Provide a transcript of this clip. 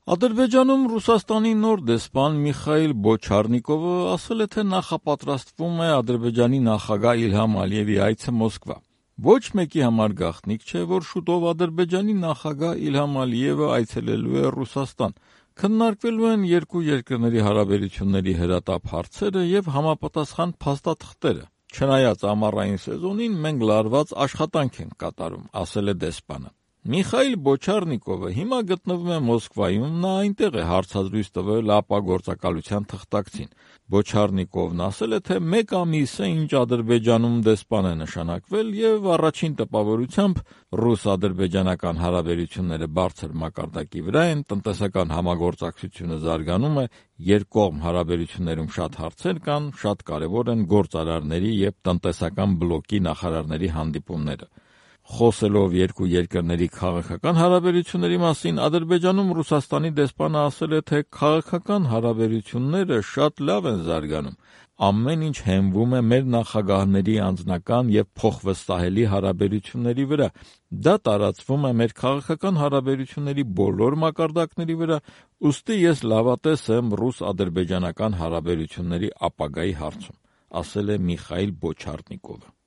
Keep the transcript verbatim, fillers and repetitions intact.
Ադրբեջանում Ռուսաստանի նոր դեսպան Միխայիլ Բոչարնիկովը ասել է, թե նախապատրաստվում է Ադրբեջանի նախագահ Իլհամ Ալիևի այցը Մոսկվա։ Ոչ մեկի համար գաղտնիք չէ, որ շուտով Ադրբեջանի նախագահ Իլհամ Ալիևը այցելելու է Ռուսաստան։ Քննարկվելու են երկու երկրների հարաբերությունների հրատապ հարցերը եւ համապատասխան փաստաթղթերը։ Չնայած ամառային սեզոնին մենք լարված աշխատանք ենք կատարում, ասել է դեսպանը։ Միխայիլ Բոչարնիկովը հիմա գտնվում է Մոսկվայում, նա այնտեղ է հարցազրույց տվել ապագործակալության թղթակցին։ Բոչարնիկովն ասել է, թե մեկ ամիս է, ինչ Ադրբեջանում դեսպան է նշանակվել եւ առաջին տպավորությամբ ռուս-ադրբեջանական հարաբերությունները բարձր մակարդակի վրա են, տնտեսական համագործակցությունը զարգանում է, երկկողմ հարաբերություններում շատ հարցեր կան, շատ կարևոր են գործարարների եւ տնտեսական բլոկի նախարարների հանդիպումները։ Խոսելով երկու երկրների քաղաքական հարաբերությունների մասին, Ադրբեջանում Ռուսաստանի դեսպանը ասել է, թե քաղաքական հարաբերությունները շատ լավ են զարգանում։ Ամեն ինչ հենվում է մեր նախագահների անձնական եւ փոխվստահելի հարաբերությունների վրա։ Դա տարածվում է մեր քաղաքական հարաբերությունների բոլոր մակարդակների վրա, ուստի ես լավատես եմ ռուս-ադրբեջանական հարաբերությունների ապագայի հարցում, ասել է Միխայիլ Բոչարնիկովը։